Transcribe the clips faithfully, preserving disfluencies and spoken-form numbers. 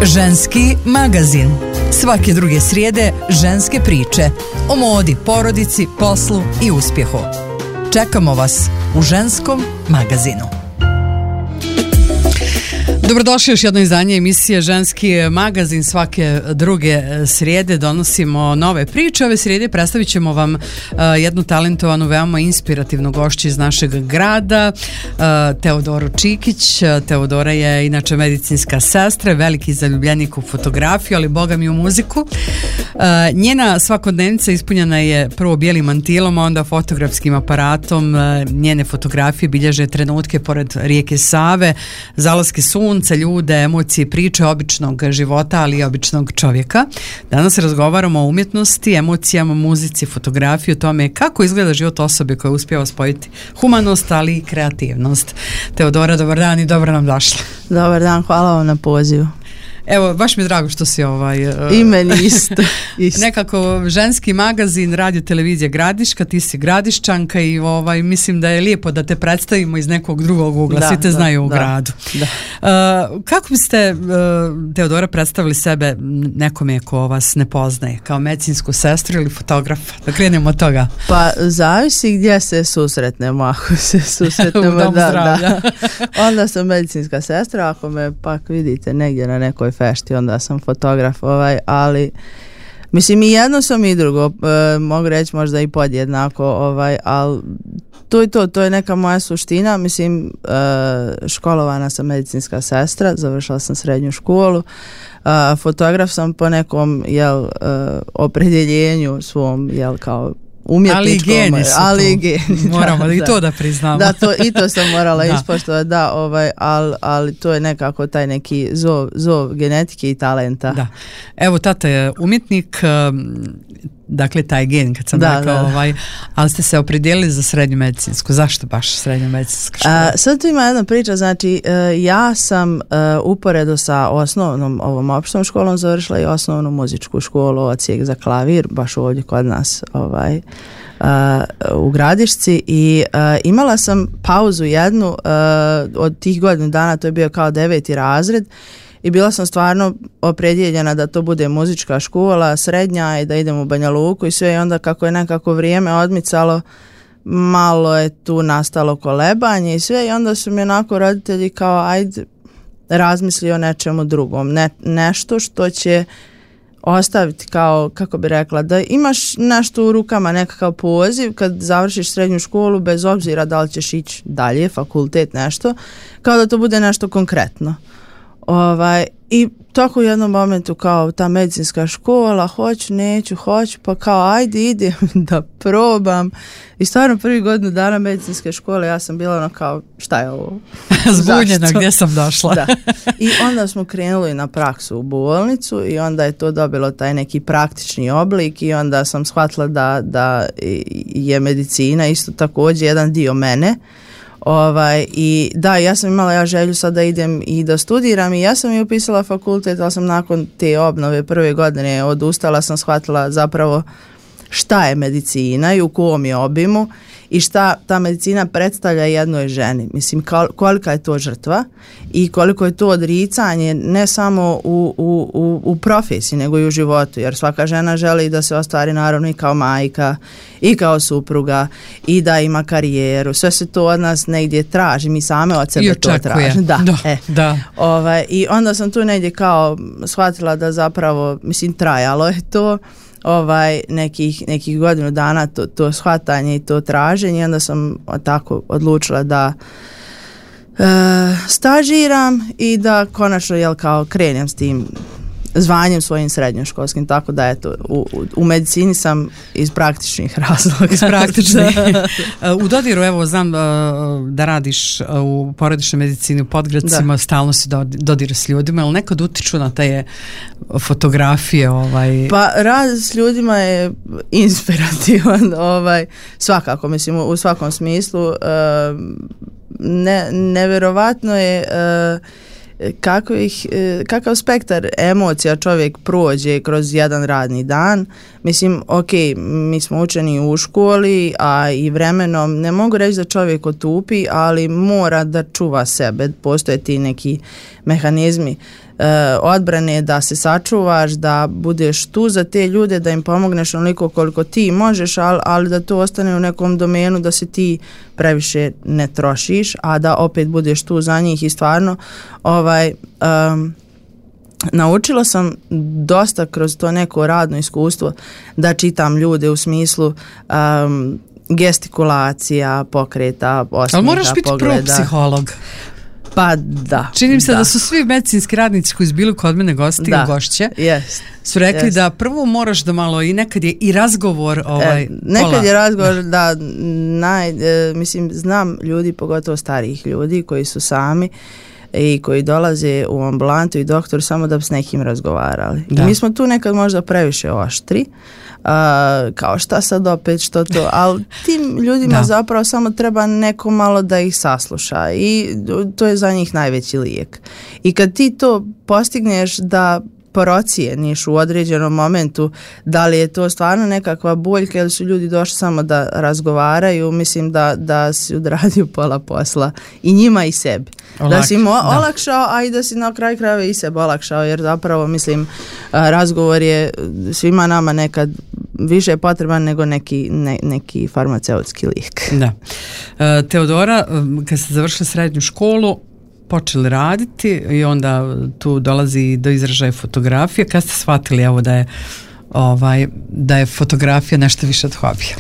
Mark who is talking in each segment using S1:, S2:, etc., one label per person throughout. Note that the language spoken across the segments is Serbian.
S1: Ženski magazin. Svake druge srijede ženske priče o modi, porodici, poslu i uspjehu. Čekamo vas u Ženskom magazinu. Dobrodošli još jedno izdanje emisije Ženski magazin. Svake druge srijede donosimo nove priče. Ove srijede predstavit ćemo vam uh, jednu talentovanu, veoma inspirativnu gošću iz našeg grada, uh, Teodoru Čikić. Teodora je inače medicinska sestra, veliki zaljubljenik u fotografiju, ali boga mi u muziku. Uh, njena svakodnevnica ispunjena je prvo bijelim mantilom, a onda fotografskim aparatom. Uh, njene fotografije bilježe trenutke pored rijeke Save, zalaske sunca, ljude, emocije, priče običnog života, ali i običnog čovjeka. Danas razgovaramo o umjetnosti, emocijama, muzici, fotografiji, o tome kako izgleda život osobe koja uspijeva spojiti humanost, ali i kreativnost. Teodora, dobar dan i dobro nam došla.
S2: Dobar dan, hvala vam na pozivu.
S1: Evo, baš mi je drago što si ovaj... Uh,
S2: I meni isto, isto.
S1: Nekako Ženski magazin, radio televizija Gradiška, ti si Gradiščanka i ovaj, mislim da je lijepo da te predstavimo iz nekog drugog ugla, da, svi te da, znaju u da, gradu. Da. Uh, kako biste, uh, Teodora, predstavili sebe nekome ko vas ne poznaje, kao medicinsku sestru ili fotografa? Da krenemo od toga.
S2: Pa, zavisi gdje se susretnemo, ako se susretnemo, da, da. Onda sam medicinska sestra, ako me pak vidite negdje na nekoj fešti, onda sam fotograf, ovaj, ali mislim i jedno sam i drugo, e, mogu reći možda i podjednako, ovaj, ali to je to, to je neka moja suština. Mislim, e, školovana sam medicinska sestra, završila sam srednju školu, e, fotograf sam po nekom, jel, e, opredjeljenju svom, jel, kao umjetničkom,
S1: ali geni su
S2: ali geni,
S1: moramo
S2: da,
S1: i
S2: da.
S1: to da priznamo.
S2: Da, to, i to sam morala ispoštovati, da, ovaj, ali, ali to je nekako taj neki zov, zov genetike i talenta.
S1: Da. Evo, tata je umjetnik, dakle taj gen kad sam da, rekao, da, da. Ovaj, ali ste se opredijelili za srednju medicinsku. Zašto baš srednju medicinsku školu?
S2: A, sad tu ima jedna priča, znači uh, ja sam uh, uporedo sa osnovnom ovom opštom školom završila i osnovnu muzičku školu, odsjek za klavir, baš ovdje kod nas, ovaj, Uh, u Gradišci i uh, imala sam pauzu jednu uh, od tih godinu dana, to je bio kao deveti razred i bila sam stvarno opredjeljena da to bude muzička škola, srednja i da idem u Banja Luku i sve, i onda kako je nekako vrijeme odmicalo, malo je tu nastalo kolebanje i sve, i onda su mi onako roditelji kao ajde razmisli o nečemu drugom, ne, nešto što će ostaviti kao, kako bi rekla, da imaš nešto u rukama, nekakav poziv kad završiš srednju školu, bez obzira da li ćeš ići dalje, fakultet, nešto, kao da to bude nešto konkretno. Ovaj, i tako u jednom momentu kao ta medicinska škola, hoću, neću, hoću, pa kao ajde idem da probam. I stvarno prvi godinu dana medicinske škole ja sam bila ono kao šta je ovo?
S1: Zbunjena gdje sam došla.
S2: Da. I onda smo krenuli na praksu u bolnicu i onda je to dobilo taj neki praktični oblik i onda sam shvatila da, da je medicina isto također jedan dio mene. Ovaj, i da, ja sam imala ja želju sad da idem i da studiram i ja sam i upisala fakultet, ali sam nakon te obnove prve godine odustala, sam shvatila zapravo šta je medicina i u kom je obimu i šta ta medicina predstavlja jednoj ženi. Mislim, kolika je to žrtva i koliko je to odricanje ne samo u, u, u, u profesiji, nego i u životu, jer svaka žena želi da se ostvari naravno i kao majka i kao supruga i da ima karijeru. Sve se to od nas negdje traži, mi same od sebe to tražimo. Da,
S1: da,
S2: e.
S1: da.
S2: Ovaj, i onda sam tu negdje kao shvatila da zapravo, mislim, trajalo je to ovaj nekih, nekih godinu dana to, to shvatanje i to traženje, i onda sam tako odlučila da e, stažiram i da konačno jel kao krenem s tim zvanjem svojim srednjoškolskim, tako da eto u, u, u medicini sam iz praktičnih razloga.
S1: Iz praktičnih. U dodiru, evo, znam da radiš u porodičnoj medicini u Podgradcima, da. Stalno si dodir s ljudima, ali nekad utiču na te fotografije? Ovaj...
S2: Pa rad s ljudima je inspirativan, ovaj, svakako, mislim, u svakom smislu. Ne, nevjerovatno je kako ih, kakav spektar emocija čovjek prođe kroz jedan radni dan. Mislim, ok, mi smo učeni u školi, a i vremenom, ne mogu reći da čovjek otupi, ali mora da čuva sebe, postoje ti neki mehanizmi odbrane, da se sačuvaš, da budeš tu za te ljude, da im pomogneš onoliko koliko ti možeš, ali, ali da to ostane u nekom domenu da se ti previše ne trošiš, a da opet budeš tu za njih i stvarno ovaj um, naučila sam dosta kroz to neko radno iskustvo da čitam ljude u smislu um, gestikulacija, pokreta, osmiha,
S1: ali moraš biti
S2: pogleda.
S1: pro-psiholog.
S2: Pa da.
S1: Čini mi se
S2: da.
S1: da su svi medicinski radnici koji su bili kod mene gosti i gošće
S2: yes,
S1: su rekli
S2: yes.
S1: da prvo moraš da malo i nekad je i razgovor ovaj,
S2: e, nekad
S1: pola.
S2: je razgovor da, naj, e, mislim znam ljudi, pogotovo starijih ljudi koji su sami i koji dolaze u ambulantu i doktor samo da bi s nekim razgovarali. Da. I mi smo tu nekad možda previše oštri, uh, kao šta sad opet, što to, ali tim ljudima da. zapravo samo treba neko malo da ih sasluša i to je za njih najveći lijek. I kad ti to postigneš da procijeniš u određenom momentu da li je to stvarno nekakva boljka ili su ljudi došli samo da razgovaraju, mislim da, da si odradio pola posla i njima i sebi. Olak, da si im o- olakšao, a i da si na kraju krajeva i sebe olakšao, jer zapravo mislim razgovor je svima nama nekad više potreban nego neki, ne, neki farmaceutski lijek.
S1: Da. E, Teodora, kad ste završili srednju školu, počeli raditi i onda tu dolazi do izražaja fotografije. Kad ste shvatili evo da je ovaj, da je fotografija nešto više od hobija?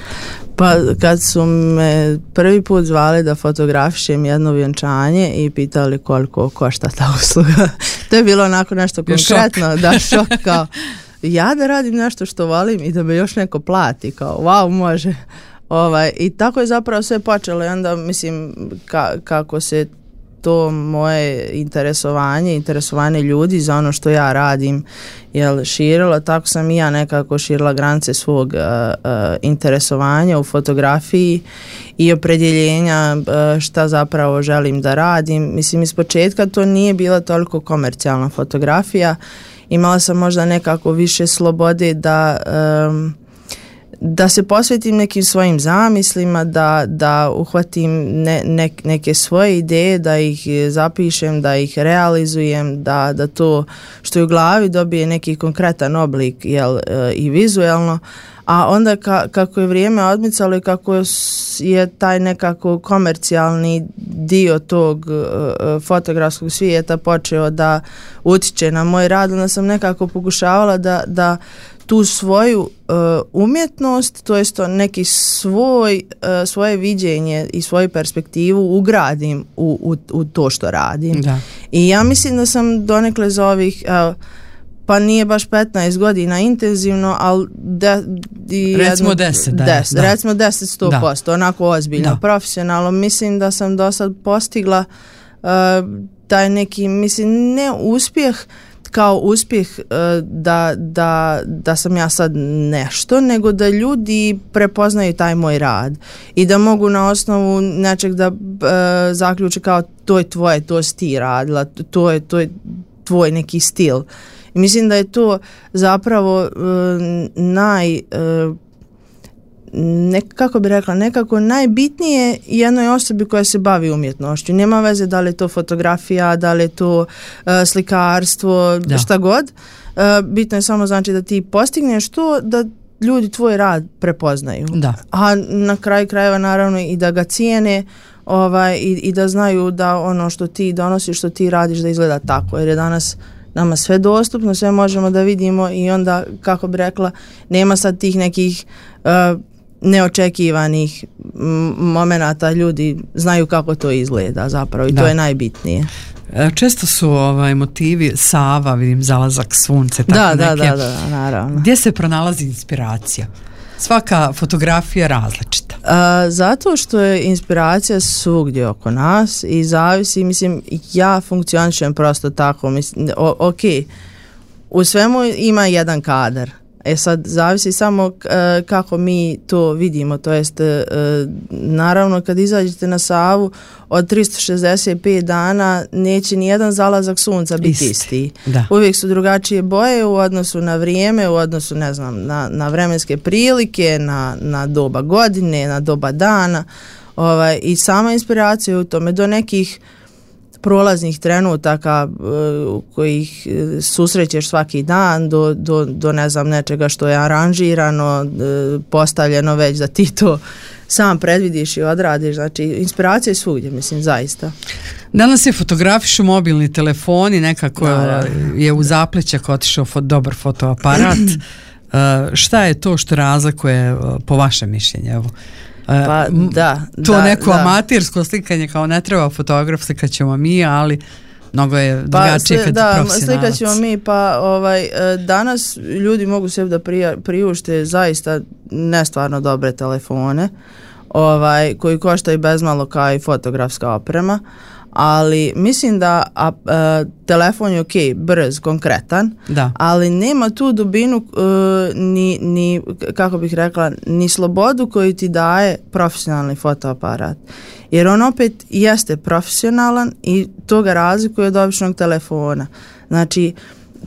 S2: Pa kad su me prvi put zvali da fotografišem jedno vjenčanje i pitali koliko košta ta usluga, to je bilo onako nešto konkretno, šok. da šok kao ja da radim nešto što volim i da me još neko plati, kao wow, može. Ovaj, i tako je zapravo sve počelo i onda mislim ka, kako se to moje interesovanje, interesovanje ljudi za ono što ja radim jel, širilo, tako sam i ja nekako širila granice svog uh, uh, interesovanja u fotografiji i opredjeljenja uh, šta zapravo želim da radim. Mislim, iz početka to nije bila toliko komercijalna fotografija, imala sam možda nekako više slobode da um, da se posvetim nekim svojim zamislima, da, da uhvatim ne, ne, neke svoje ideje, da ih zapišem, da ih realizujem, da, da to što je u glavi dobije neki konkretan oblik jel, i vizuelno, a onda ka, kako je vrijeme odmicalo i kako je taj nekako komercijalni dio tog uh, fotografskog svijeta počeo da utiče na moj rad, onda sam nekako pokušavala da, da tu svoju uh, umjetnost, to jest neki svoj, uh, svoje viđenje i svoju perspektivu ugradim u, u, u to što radim. Da. I ja mislim da sam donekle za ovih, uh, pa nije baš petnaest godina intenzivno, ali de, i
S1: recimo
S2: jedno,
S1: deset, da,
S2: deset,
S1: da.
S2: recimo deset, sto posto, da. Onako ozbiljno, da. Profesionalno. Mislim da sam do sad postigla uh, taj neki, mislim, ne uspjeh, kao uspjeh da, da, da sam ja sad nešto, nego da ljudi prepoznaju taj moj rad i da mogu na osnovu nečeg da e, zaključe kao to je tvoje, to si ti radila, to je, to je tvoj neki stil. I mislim da je to zapravo e, naj... E, Ne, kako bi rekla, nekako najbitnije jednoj osobi koja se bavi umjetnošću. Nema veze da li je to fotografija, da li je to uh, slikarstvo, da. Šta god. Uh, bitno je samo znači da ti postigneš to da ljudi tvoj rad prepoznaju. Da. A na kraju krajeva naravno i da ga cijene ovaj, i, i da znaju da ono što ti donosiš, što ti radiš da izgleda tako. Jer je danas nama sve dostupno, sve možemo da vidimo i onda, kako bi rekla, nema sad tih nekih uh, neočekivanih momenata, ljudi znaju kako to izgleda zapravo i da. To je najbitnije.
S1: Često su ovaj motivi Sava, vidim, zalazak sunce, tako
S2: da,
S1: neke.
S2: Da, da, da, naravno.
S1: Gdje se pronalazi inspiracija? Svaka fotografija različita.
S2: A, zato što je inspiracija svugdje oko nas i zavisi, mislim, ja funkcionišem prosto tako, mislim, o, ok, u svemu ima jedan kadar. E sad, zavisi samo e, kako mi to vidimo, to jest e, naravno kad izađete na Savu od tristo šezdeset pet dana neće ni jedan zalazak sunca biti isti. isti. Uvijek su drugačije boje u odnosu na vrijeme, u odnosu ne znam, na, na vremenske prilike, na, na doba godine, na doba dana ovaj, i sama inspiracija u tome do nekih prolaznih trenutaka uh, kojih susrećeš svaki dan do, do, do ne znam nečega što je aranžirano, uh, postavljeno već da ti to sam predvidiš i odradiš. Znači, inspiracija je svugdje, mislim, zaista.
S1: Danas se fotografišu mobilni telefoni, nekako da, da. je u zaplećak otišao fo, dobar fotoaparat. uh, šta je to što razlikuje uh, po vašem mišljenju? Evo.
S2: Pa, da,
S1: to
S2: da,
S1: neko
S2: da.
S1: amatirsko slikanje, kao ne treba fotograf, slikat ćemo mi, ali mnogo je drugačije
S2: pa,
S1: kad
S2: da,
S1: profesionalac.
S2: Slikat ćemo mi, pa ovaj, danas ljudi mogu sebi da prija, priušte zaista nestvarno dobre telefone, ovaj, koji koštaju bezmalo kao i fotografska oprema, ali mislim da a, a, telefon je ok, brz, konkretan,
S1: da.
S2: ali nema tu dubinu uh, ni, ni, kako bih rekla, ni slobodu koju ti daje profesionalni fotoaparat. Jer on opet jeste profesionalan i to ga razlikuje od običnog telefona. Znači,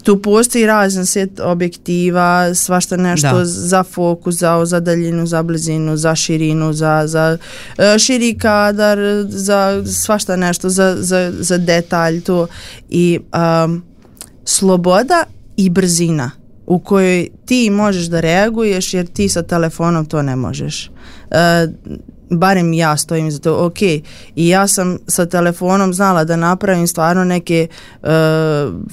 S2: tu postoji razan set objektiva, svašta nešto da. za fokus, za, za daljinu, za blizinu, za širinu, za, za uh, širi kadar, za svašta nešto, za, za, za detalj to. I um, sloboda i brzina u kojoj ti možeš da reaguješ jer ti sa telefonom to ne možeš. Uh, barem ja stojim za to, ok, i ja sam sa telefonom znala da napravim stvarno neke uh,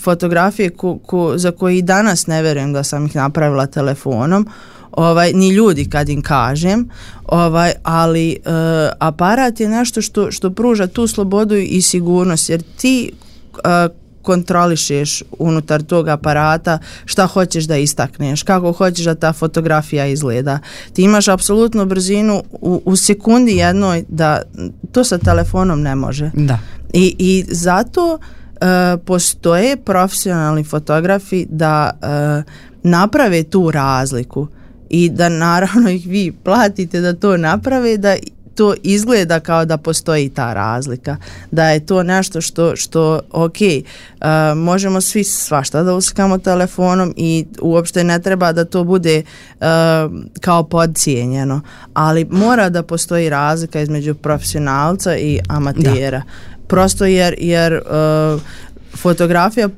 S2: fotografije ko, ko, za koje i danas ne verujem da sam ih napravila telefonom, ovaj, ni ljudi kad im kažem, ovaj, ali uh, aparat je nešto što, što pruža tu slobodu i sigurnost, jer ti uh, kontrolišeš unutar tog aparata šta hoćeš da istakneš, kako hoćeš da ta fotografija izgleda. Ti imaš apsolutnu brzinu u, u sekundi jednoj da to sa telefonom ne može.
S1: Da.
S2: I, i zato uh, postoje profesionalni fotografi da uh, naprave tu razliku i da naravno ih vi platite da to naprave, da to izgleda kao da postoji ta razlika, da je to nešto što, što ok, uh, možemo svi svašta da uslikamo telefonom i uopšte ne treba da to bude uh, kao podcijenjeno, ali mora da postoji razlika između profesionalca i amatera. Da. Prosto jer, jer uh, fotografija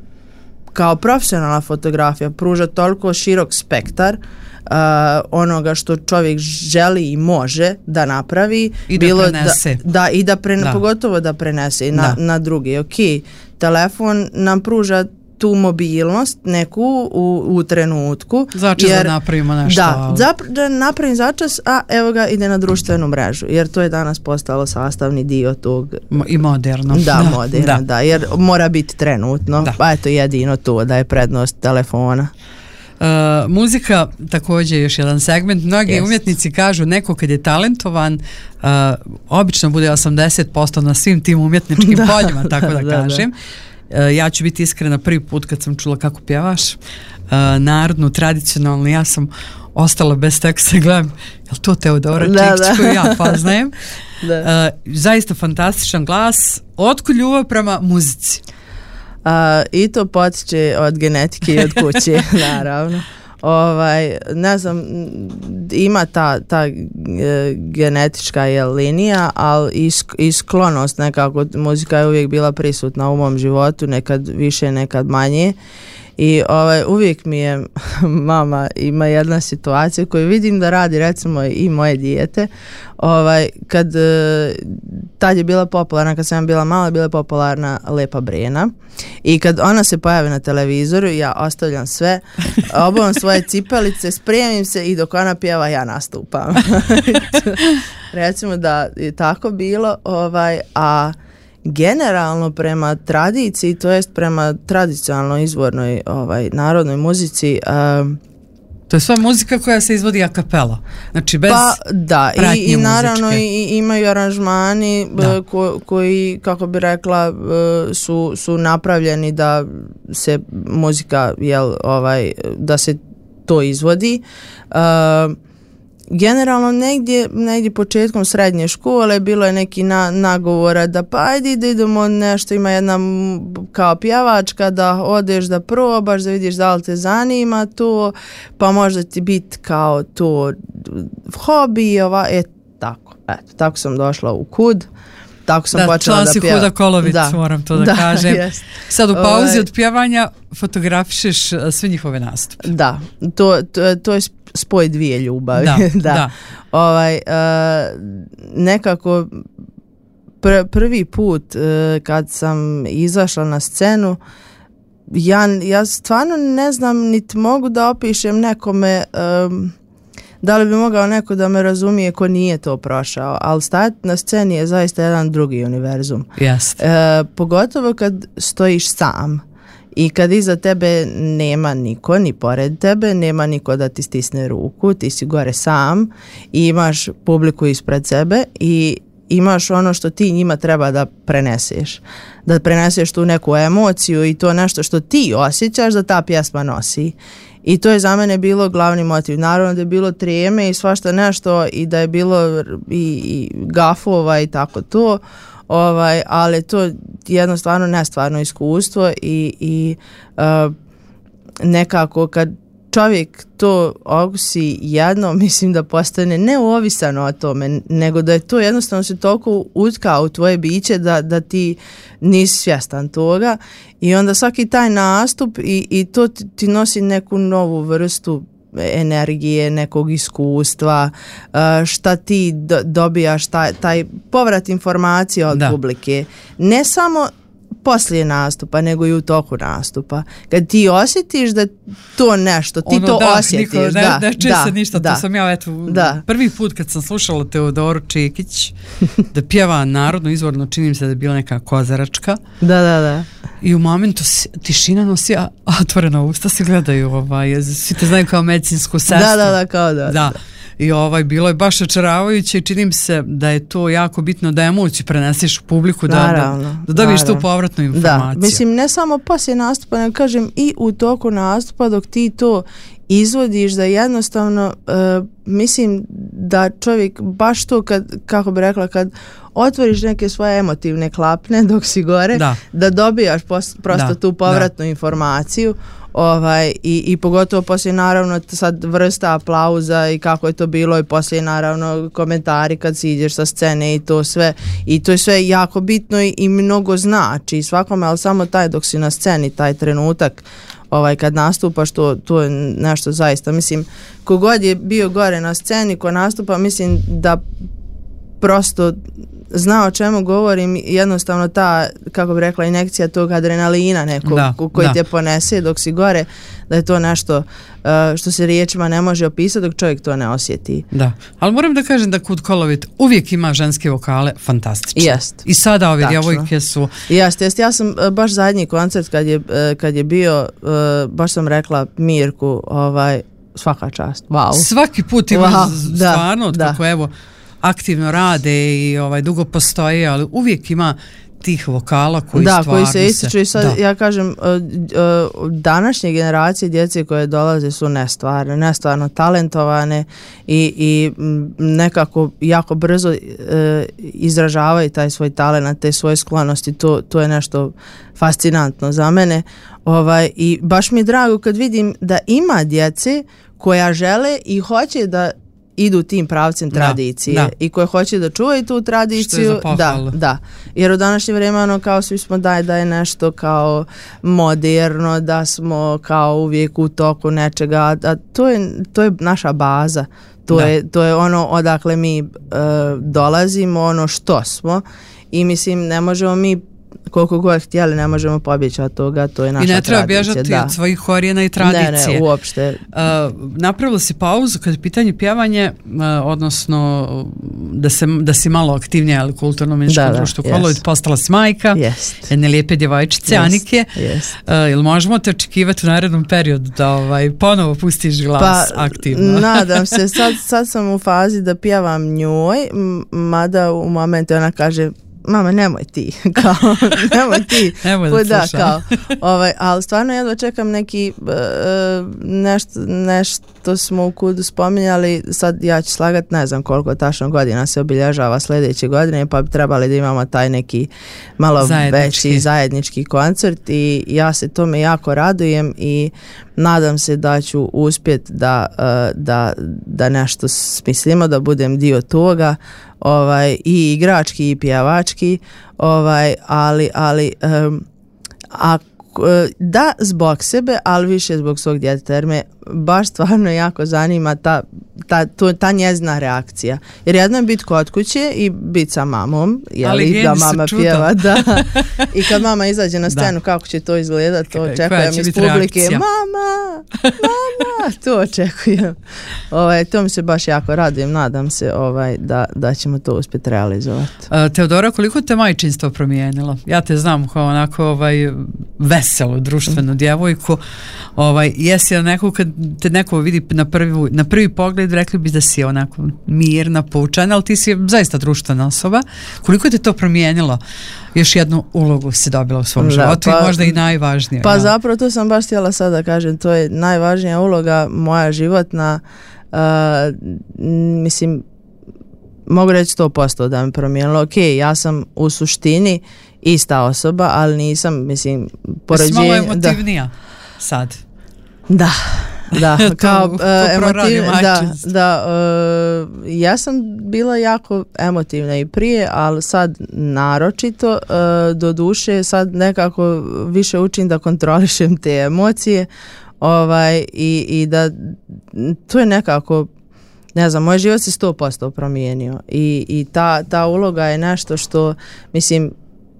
S2: kao profesionalna fotografija pruža toliko širok spektar Uh, onoga što čovjek želi i može da napravi
S1: i da
S2: bilo
S1: prenese
S2: da, da, i da, pre,
S1: da.
S2: pogotovo da prenese na,
S1: da.
S2: na drugi. Ok, telefon nam pruža tu mobilnost neku u, u trenutku.
S1: Začas jer, da napravimo nešto.
S2: Da, zap, da napravim začas, a evo ga ide na društvenu mrežu, jer to je danas postalo sastavni dio tog.
S1: I moderno.
S2: Da, da moderno, da. da, jer mora biti trenutno, da. Pa eto jedino to da je prednost telefona.
S1: Uh, muzika također je još jedan segment. Mnogi yes. umjetnici kažu neko kad je talentovan uh, obično bude osamdeset posto na svim tim umjetničkim da. poljima, tako da, da kažem. Da. Uh, ja ću biti iskrena, prvi put kad sam čula kako pjevaš uh, narodnu, tradicionalnu, ja sam ostala bez teksta, gledam, je li to Teodora Čikić koju ja poznajem? Da. Uh, zaista fantastičan glas. Otkud ljubav prema muzici?
S2: Uh, i to potiče od genetike i od kuće, naravno. Ovaj, ne znam, ima ta, ta e, genetička je linija, ali i, i sklonost nekako, muzika je uvijek bila prisutna u mom životu, nekad više, nekad manje. I ovaj, uvijek mi je mama ima jedna situacija koju vidim da radi recimo i moje dijete. Ovaj, kad tad je bila popularna, kad sam bila mala, bila je popularna Lepa Brena. I kad ona se pojavi na televizoru, ja ostavljam sve, obuvam svoje cipelice, spremim se i dok ona pjeva ja nastupam. Recimo da je tako bilo, ovaj, a generalno prema tradiciji, to jest prema tradicionalnoj izvornoj ovaj, narodnoj muzici, um,
S1: to je sva muzika koja se izvodi a capella, znači bez
S2: pa, da,
S1: pratnje
S2: i, i naravno
S1: muzičke.
S2: i, imaju aranžmani ko, koji, kako bi rekla, su, su napravljeni da se muzika, jel, ovaj, da se to izvodi. Uh, Generalno negdje, negdje početkom srednje škole bilo je neki na, nagovora da pa ajde da idemo nešto, ima jedna kao pjevačka da odeš da probaš, da vidiš da li te zanima to, pa možda ti biti kao to hobi, ova, et, tako, eto, tako sam došla u Kud tako sam
S1: da,
S2: počela da pjevam.
S1: Huda Kolovic, da, moram to da, da kažem. Jest. Sad u pauzi ovaj, od pjevanja fotografišeš sve njihove nastupe.
S2: Da, to, to, to je spoj dvije ljubavi.
S1: Da,
S2: da.
S1: da.
S2: Ovaj, uh, nekako pr, prvi put uh, kad sam izašla na scenu, ja, ja stvarno ne znam, niti mogu da opišem nekome um, da li bi mogao neko da me razumije ko nije to prošao, ali stajati na sceni je zaista jedan drugi univerzum.
S1: Yes.
S2: E, pogotovo kad stojiš sam i kad iza tebe nema niko, ni pored tebe, nema niko da ti stisne ruku, ti si gore sam i imaš publiku ispred sebe i imaš ono što ti njima treba da preneseš. Da preneseš tu neku emociju i to nešto što ti osjećaš da ta pjesma nosi. I to je za mene bilo glavni motiv. Naravno da je bilo treme i svašta nešto i da je bilo i, i gafova i tako to, ovaj, ali to jednostavno nestvarno iskustvo i, i uh, nekako kad čovjek to okusi jedno, mislim da postane neovisan o tome, nego da je to jednostavno se toliko utkao u tvoje biće da, da ti nisi svjestan toga i onda svaki taj nastup i, i to ti, ti nosi neku novu vrstu energije, nekog iskustva, šta ti do, dobijaš, taj, taj povrat informacija od da. publike. Ne samo poslije nastupa, nego i u toku nastupa. Kad ti osjetiš da to nešto, ti ono, to da, osjetiš. Niko,
S1: ne,
S2: da,
S1: ne čuje
S2: da,
S1: se ništa,
S2: da,
S1: to sam ja eto,
S2: da.
S1: prvi put kad sam slušala Teodoru Čekić da pjeva narodno izvorno, činim se da je bila neka kozaračka.
S2: Da, da, da.
S1: I u momentu tišina nosi, a otvorena usta se gledaju, ovaj, svi te znaju kao medicinsku sestru.
S2: Da, da, da, kao da.
S1: Da.
S2: da.
S1: I ovaj, bilo je baš očaravajuće i činim se da je to jako bitno da emociju preneseš u publiku, da, naravno, da, da dobiješ tu povratnu informaciju.
S2: Da, mislim, ne samo poslije nastupa, ne kažem i u toku nastupa dok ti to izvodiš, da jednostavno uh, mislim da čovjek baš to kad, kako bi rekla, kad otvoriš neke svoje emotivne klapne dok si gore, da, da dobijaš pos, prosto da, tu povratnu da. informaciju. Ovaj, i, i pogotovo poslije naravno sad vrsta aplauza i kako je to bilo i poslije naravno komentari kad si ideš sa scene i to sve i to je sve jako bitno i, i mnogo znači svakome, ali samo taj dok si na sceni, taj trenutak ovaj, kad nastupaš, to, to je nešto zaista, mislim, kogod je bio gore na sceni ko nastupa, mislim da prosto zna o čemu govorim, jednostavno ta, kako bi rekla, injekcija tog adrenalina nekog da, koji da. te ponese dok si gore, da je to nešto uh, što se riječima ne može opisati dok čovjek to ne osjeti.
S1: Da, ali moram da kažem da Kud Kolovit uvijek ima ženske vokale fantastične.
S2: Jest.
S1: I sada ove djevojke su...
S2: Jest, jest. Ja sam uh, baš zadnji koncert kad je, uh, kad je bio, uh, baš sam rekla Mirku, ovaj, svaka čast, wow.
S1: Svaki put ima
S2: wow.
S1: stvarno,
S2: da,
S1: kako evo, aktivno rade i ovaj dugo postoje, ali uvijek ima tih vokala koji
S2: da,
S1: stvarno
S2: koji se ističu i sad da. ja kažem uh, uh, današnje generacije djece koje dolaze su nestvarne, nestvarno talentovane i, i nekako jako brzo uh, izražavaju taj svoj talent, te svoje sklonosti, to, to je nešto fascinantno za mene. Ovaj, i baš mi je drago kad vidim da ima djece koja žele i hoće da idu tim pravcem tradicije da, da. i koje hoće da čuvaju tu tradiciju, da, da. Jer u današnje vrijeme ono kao svi smo daj da je nešto kao moderno, da smo kao uvijek u toku nečega, a to je, to je naša baza. To je, to je ono odakle mi uh, dolazimo, ono što smo i mislim ne možemo mi koliko god htjeli, ne možemo pobjeći od toga, to je naša tradicija. I ne treba
S1: tradicija, bježati da. od svojih korijena i tradicije.
S2: Ne, ne, uopšte.
S1: Uh, napravila si pauzu kad je pitanje pjevanje, uh, odnosno da, se, da si malo aktivnija, ali kulturno-umjetničko društvo yes. Kolovit, postala si majka,
S2: yes.
S1: jedne lijepe djevojčice, yes. Anike.
S2: Yes.
S1: Uh, ili možemo te očekivati u narednom periodu da ovaj, ponovo pustiš glas
S2: pa,
S1: aktivno?
S2: Nadam se, sad, sad sam u fazi da pjevam njoj, mada u momentu ona kaže mama, nemoj ti, kao, nemoj ti,
S1: nemoj da,
S2: da kao, ovaj, ali stvarno jedva čekam neki, uh, nešto, nešto smo u Kudu spominjali, sad ja ću slagat, ne znam koliko tačno godina se obilježava sljedeće godine, pa bi trebali da imamo taj neki malo zajednički. veći zajednički koncert i ja se tome jako radujem i nadam se da ću uspjeti da, uh, da, da nešto smislimo, da budem dio toga. ovaj, i igrački i pjevački, ovaj, ali, ali um, a da zbog sebe, ali više zbog svog djeteta, jer me baš stvarno jako zanima ta, ta, to, ta njezina reakcija. Jer jedno je biti kod kuće i biti sa mamom, jeli, da mama pjeva, da. I kad mama izađe na scenu, da. Kako će to izgledati, to očekujem iz publike. Reakcija? Mama, mama, to očekujem. Ovaj, to mi se baš jako radujem, nadam se ovaj, da, da ćemo to uspjeti realizovati.
S1: Uh, Teodora, koliko te majčinstvo promijenilo? Ja te znam kao onako ovaj, veselu, društvenu djevojku. Ovaj, jesi li neko, kad te neko vidi na prvi, na prvi pogled, rekli bi da si onako mirna, poučena, ali ti si zaista društvena osoba. Koliko te to promijenilo? Još jednu ulogu si dobila u svom da, životu pa, i možda i najvažnija.
S2: Pa
S1: ja.
S2: Zapravo to sam baš htjela sad da kažem, to je najvažnija uloga moja životna, uh, mislim, mogu reći sto posto da mi promijenilo. Ok, ja sam u suštini ista osoba, ali nisam, mislim, poređenje...
S1: Jesi malo emotivnija da, sad?
S2: Da, da, kao uh, emotiv, da, da uh, ja sam bila jako emotivna i prije, ali sad naročito, uh, do duše sad nekako više učim da kontrolišem te emocije, ovaj, i, i da to je nekako, ne znam, moj život se sto posto promijenio i, i ta, ta uloga je nešto što, mislim,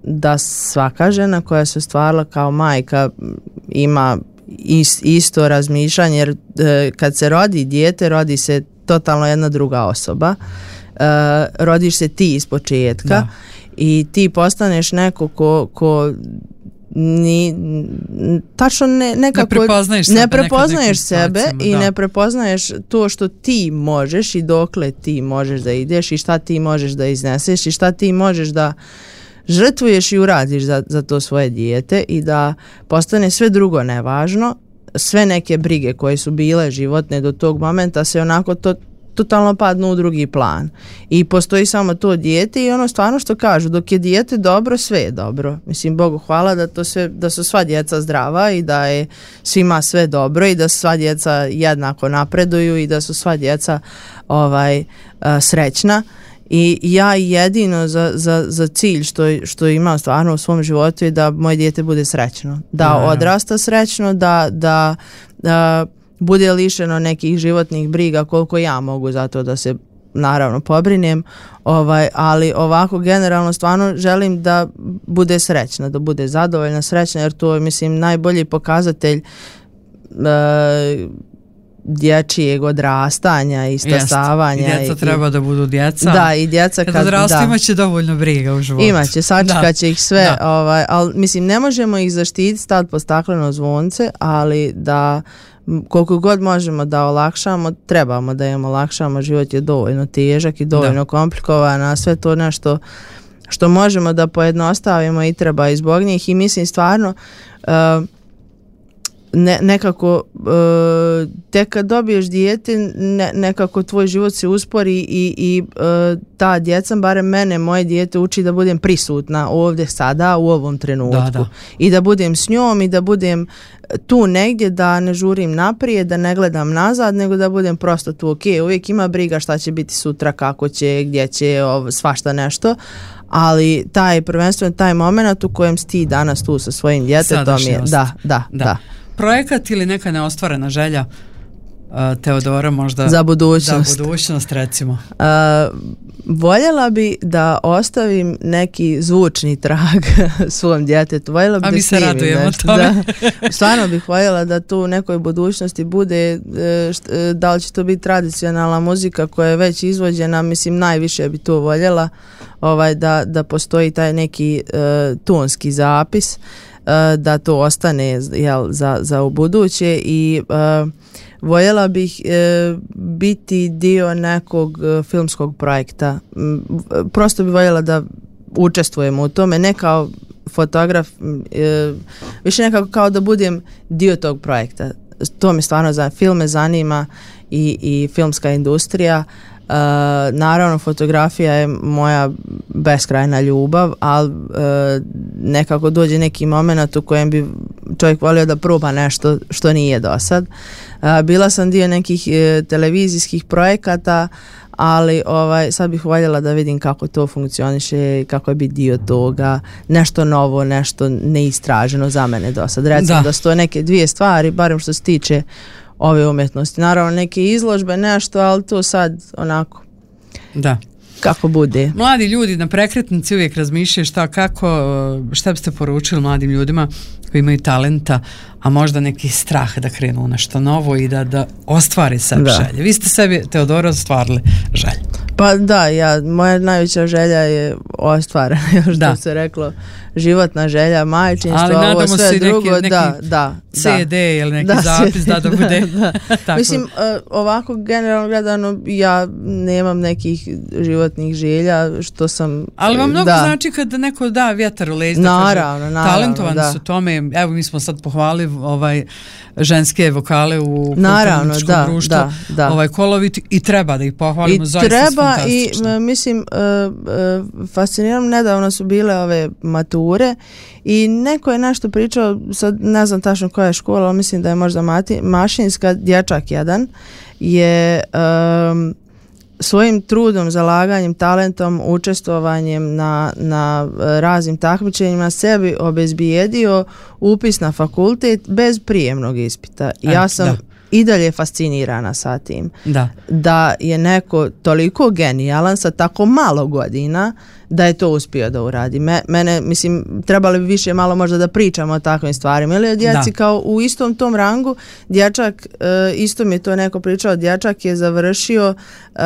S2: da svaka žena koja se ostvarila kao majka ima isto razmišljanje, jer e, kad se rodi dijete, rodi se totalno jedna druga osoba, e, rodiš se ti iz početka da. I ti postaneš neko ko, ko ni, tačno ne, nekako
S1: ne prepoznaješ sebe,
S2: ne prepoznaješ sebe i da. Ne prepoznaješ to što ti možeš i dokle ti možeš da ideš i šta ti možeš da izneseš i šta ti možeš da žrtvuješ i uradiš za, za to svoje dijete i da postane sve drugo nevažno, sve neke brige koje su bile životne do tog momenta se onako to, totalno padnu u drugi plan. I postoji samo to dijete i ono stvarno što kažu, dok je dijete dobro, sve je dobro. Mislim, Bogu hvala da, to sve, da su sva djeca zdrava i da je svima sve dobro i da sva djeca jednako napreduju i da su sva djeca ovaj, a, srećna. I ja jedino za, za, za cilj što, što imam stvarno u svom životu je da moje dijete bude srećno. Da ja, ja. Odrasta srećno, da, da, da bude lišeno nekih životnih briga koliko ja mogu za to da se naravno pobrinem. Ovaj, ali ovako generalno stvarno želim da bude srećna, da bude zadovoljna, srećna, jer to je, mislim, najbolji pokazatelj uh, dječjeg odrastanja i stasavanja.
S1: Jest, i djeca i, treba da budu djeca.
S2: Da, i djeca kad,
S1: kad odrastu imaće dovoljno briga u životu.
S2: Imaće, sačekat će ih sve, ovaj, ali mislim ne možemo ih zaštititi, stati pod stakleno zvonce, ali da koliko god možemo da olakšamo, trebamo da im olakšamo, život je dovoljno težak i dovoljno da. komplikovan, a sve to nešto što možemo da pojednostavimo i treba i zbog njih i mislim stvarno uh, Ne, nekako uh, tek kad dobiješ dijete ne, nekako tvoj život se uspori i, i uh, ta djeca, barem mene, moje dijete uči da budem prisutna ovdje sada u ovom trenutku da, da. I da budem s njom i da budem tu negdje, da ne žurim naprijed, da ne gledam nazad, nego da budem prosto tu. Ok, uvijek ima briga šta će biti sutra, kako će, gdje će, ov, svašta nešto, ali taj prvenstveno taj moment u kojem si ti danas tu sa svojim djetetom je da, da, da, da.
S1: Projekat ili neka neostvarena želja uh, Teodora možda
S2: za budućnost,
S1: za budućnost recimo?
S2: Uh, voljela bi da ostavim neki zvučni trag svom djetetu. Voljela bi
S1: A
S2: da
S1: mi se radujemo
S2: nešto.
S1: tome.
S2: Da, stvarno bih voljela da tu u nekoj budućnosti bude, št, da li će to biti tradicionalna muzika koja je već izvođena, mislim najviše bi to voljela, ovaj, da, da postoji taj neki uh, tonski zapis, da to ostane, jel, za, za u buduće i uh, voljela bih uh, biti dio nekog uh, filmskog projekta. M, prosto bih voljela da učestvujem u tome, ne kao fotograf, uh, više nekako kao da budem dio tog projekta. To me stvarno za film me zanima i, i filmska industrija. Uh, naravno fotografija je moja beskrajna ljubav, ali uh, nekako dođe neki moment u kojem bi čovjek volio da proba nešto što nije do sad. Uh, bila sam dio nekih uh, televizijskih projekata, ali ovaj, sad bih voljela da vidim kako to funkcioniše, kako je biti dio toga, nešto novo, nešto neistraženo za mene do sad. Recimo da, da su to neke dvije stvari, barem što se tiče ove umjetnosti. Naravno neke izložbe, nešto, ali to sad onako.
S1: Da.
S2: Kako bude.
S1: Mladi ljudi na prekretnici uvijek razmišljaju šta, kako, šta biste poručili mladim ljudima koji imaju talenta, a možda neki strah da krenu u nešto novo i da, da ostvari sebi želje. Vi ste sebi, Teodora, ostvarili želje.
S2: Pa da, ja, moja najveća želja je ostvarena, što da. se reklo, životna želja, majčinstvo, ovo sve drugo, neki, neki da, da.
S1: C D ili neki da, zapis da, da bude. Da.
S2: Tako. Mislim, ovako generalno gledano, ja nemam nekih životnih želja, što sam...
S1: Ali vam mnogo da. znači kada neko da vjetar u leđa,
S2: naravno,
S1: kaže,
S2: naravno,
S1: talentovani
S2: da.
S1: su tome, evo mi smo sad pohvalili ovaj, ženske vokale u
S2: naravno, da,
S1: društvu,
S2: da, da.
S1: ovaj kolovit i treba da ih pohvalimo,
S2: I
S1: zaista
S2: treba i mislim, uh, uh, fascinirano, nedavno su bile ove mature i neko je nešto pričao, sad ne znam tačno koja je škola, ali mislim da je možda mati, mašinska, dječak jedan je um, svojim trudom, zalaganjem, talentom, učestvovanjem na, na raznim takmičenjima sebi obezbijedio upis na fakultet bez prijemnog ispita. E, ja sam da. i dalje fascinirana sa tim.
S1: Da.
S2: Da je neko toliko genijalan sa tako malo godina da je to uspio da uradi. Me, mene, mislim, trebali bi više malo možda da pričamo o takvim stvarima. Ili o djeci da. kao u istom tom rangu, dječak, uh, isto mi je to neko pričao, dječak je završio uh,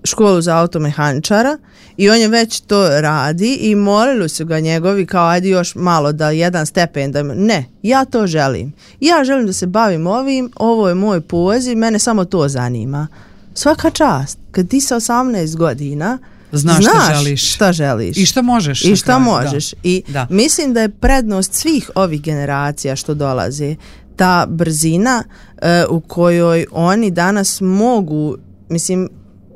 S2: školu za automehaničara i on je već to radi i molili su ga njegovi kao ajde još malo da jedan stepen da ne, ja to želim. Ja želim da se bavim ovim, ovo je moj poziv, mene samo to zanima. Svaka čast. Kad ti sa osamnaest godina
S1: Znaš,
S2: Znaš
S1: šta želiš.
S2: šta želiš.
S1: I šta možeš.
S2: I šta možeš.
S1: Da.
S2: I
S1: da.
S2: mislim da je prednost svih ovih generacija što dolaze ta brzina uh, u kojoj oni danas mogu, mislim,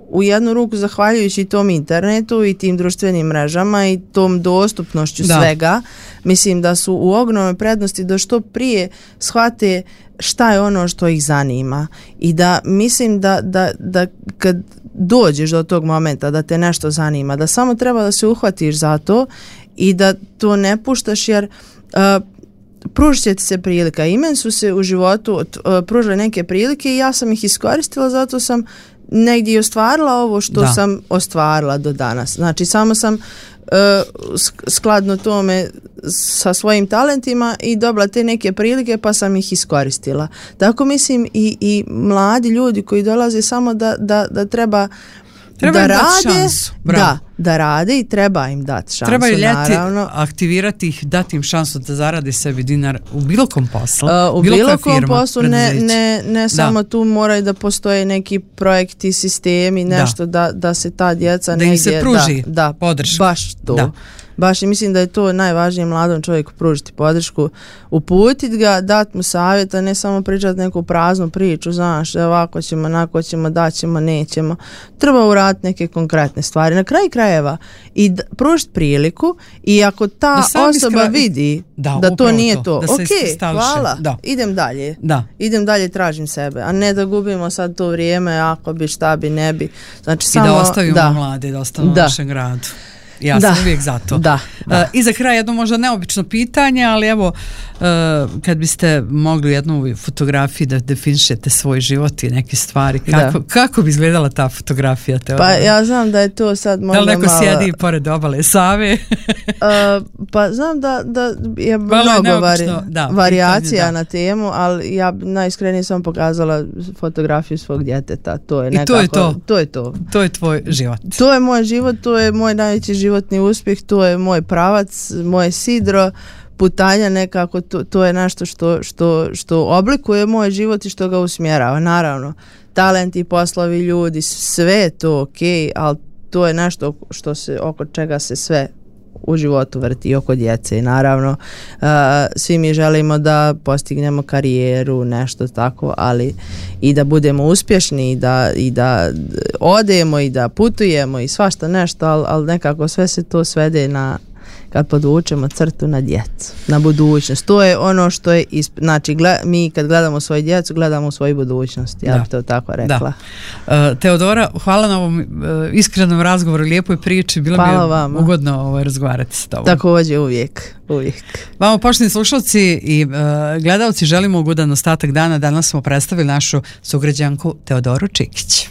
S2: u jednu ruku zahvaljujući tom internetu i tim društvenim mrežama i tom dostupnošću da. svega, mislim da su u ogromnoj prednosti da što prije shvate šta je ono što ih zanima i da mislim da, da, da kad dođeš do tog momenta da te nešto zanima, da samo treba da se uhvatiš za to i da to ne puštaš jer uh, pružit će ti se prilika. I meni su se u životu uh, pružile neke prilike i ja sam ih iskoristila, zato sam negdje ostvarila ovo što da. sam ostvarila do danas. Znači samo sam uh, skladno tome sa svojim talentima i dobila te neke prilike pa sam ih iskoristila. Tako mislim i, i mladi ljudi koji dolaze samo da, da, da treba
S1: Treba
S2: da
S1: im
S2: rade,
S1: dati šansu.
S2: Da, da rade i treba im dati šansu.
S1: Treba i ljeti
S2: naravno.
S1: aktivirati ih, dati im šansu da zarade sebi dinar u bilo kom poslu.
S2: Uh, u bilo, bilo kom firma, poslu, ne, ne, ne samo tu moraju da postoje neki projekti, sistemi, nešto da, da, da se ta djeca
S1: da
S2: negdje...
S1: im se pruži
S2: da, da,
S1: podrška.
S2: Baš to.
S1: Da.
S2: Baš i mislim da je to najvažnije mladom čovjeku pružiti podršku, uputiti ga, dati mu savjeta, ne samo pričati neku praznu priču, znaš, ovako ćemo, onako ćemo, daćemo, nećemo. Treba uraditi neke konkretne stvari. Na kraju krajeva i d- pružiti priliku i ako ta osoba iskra... vidi da, da to nije to, to. ok, hvala, da. idem dalje.
S1: Da.
S2: Idem dalje, tražim sebe, a ne da gubimo sad to vrijeme, ako bi, šta bi, ne bi. Znači,
S1: I
S2: samo,
S1: da ostavimo
S2: da.
S1: mlade, da ostavimo
S2: da.
S1: u našem gradu. Ja
S2: da.
S1: sam uvijek za to.
S2: Da, da.
S1: Uh, I za kraj jedno možda neobično pitanje, ali evo, uh, kad biste mogli jednu fotografiju da definišete svoj život i neke stvari, kako, kako bi izgledala ta fotografija? Te
S2: pa ja znam da je to sad možda malo...
S1: Da li neko malo... sjedi pored obale Save?
S2: uh, pa znam da, da je Malo mnogo je vari, da, varijacija pitanje, da. na temu, ali ja najiskrenije sam pokazala fotografiju svog djeteta. To je nekako,
S1: I to je to.
S2: To je to.
S1: To je tvoj život.
S2: To je moj život, to je moj najveći životni uspjeh, to je moj pravac, moje sidro, putanja nekako, to, to je nešto što, što, što oblikuje moj život i što ga usmjerava. Naravno, talenti, poslovi, ljudi, sve je to ok, ali to je nešto što se, oko čega se sve u životu vrti, oko djece i naravno uh, svi mi želimo da postignemo karijeru, nešto tako, ali i da budemo uspješni i da, i da odemo i da putujemo i svašta nešto, ali, ali nekako sve se to svede na kad podvučemo crtu na djecu, na budućnost. To je ono što je, isp... znači gled... mi kad gledamo svoju djecu, gledamo svoju budućnost, ja bih to tako rekla.
S1: Da. Uh, Teodora, hvala na ovom uh, iskrenom razgovoru, lijepoj priči, bilo hvala mi je vama. Ugodno ovaj, razgovarati s tobom.
S2: Također, uvijek, uvijek.
S1: Vama, poštovani slušalci i uh, gledalci, želimo ugodan ostatak dana. Danas smo predstavili našu sugrađanku Teodoru Čikić.